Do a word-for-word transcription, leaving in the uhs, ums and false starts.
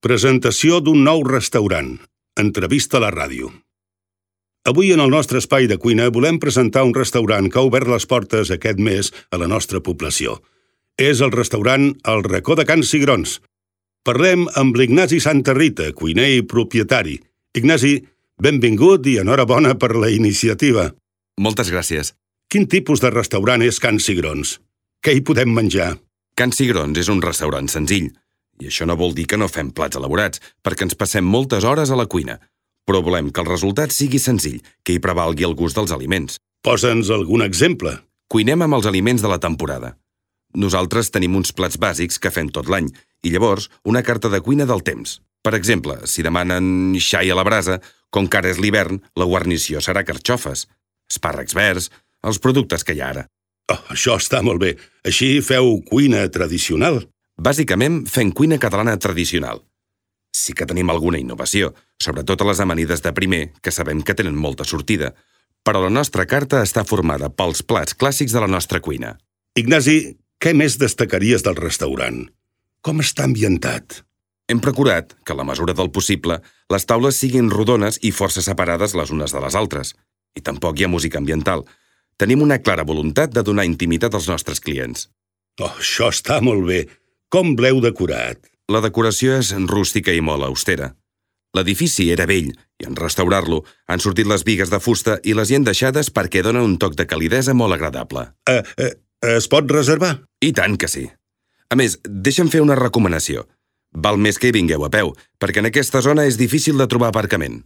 Presentació d'un nou restaurant. Entrevista a la ràdio. Avui en el nostre espai de cuina volem presentar un restaurant que ha obert les portes aquest mes a la nostra població. És el restaurant El Racó de Can Cigrons. Parlem amb l'Ignasi Santa Rita, cuiner i propietari. Ignasi, benvingut i enhorabona per la iniciativa. Moltes gràcies. Quin tipus de restaurant és Can Cigrons? Què hi podem menjar? Can Cigrons és un restaurant senzill. I això no vol dir que no fem plats elaborats, perquè ens passem moltes hores a la cuina. Però volem que el resultat sigui senzill, que hi prevalgui el gust dels aliments. Posa'ns algun exemple. Cuinem amb els aliments de la temporada. Nosaltres tenim uns plats bàsics que fem tot l'any, i llavors una carta de cuina del temps. Per exemple, si demanen xai a la brasa, com que ara és l'hivern, la guarnició serà carxofes, espàrrecs verds, els productes que hi ha ara. Oh, això està molt bé. Així feu cuina tradicional. Bàsicament, fem cuina catalana tradicional. Sí que tenim alguna innovació, sobretot a les amanides de primer, que sabem que tenen molta sortida, però la nostra carta està formada pels plats clàssics de la nostra cuina. Ignasi, què més destacaries del restaurant? Com està ambientat? Hem procurat que, a la mesura del possible, les taules siguin rodones i força separades les unes de les altres. I tampoc hi ha música ambiental. Tenim una clara voluntat de donar intimitat als nostres clients. Oh, això està molt bé. Com l'heu decorat? La decoració és rústica i molt austera. L'edifici era vell i en restaurar-lo han sortit les bigues de fusta i les hi han deixades perquè donen un toc de calidesa molt agradable. Eh, eh, es pot reservar? I tant que sí. A més, deixa'm fer una recomanació. Val més que hi vingueu a peu, perquè en aquesta zona és difícil de trobar aparcament.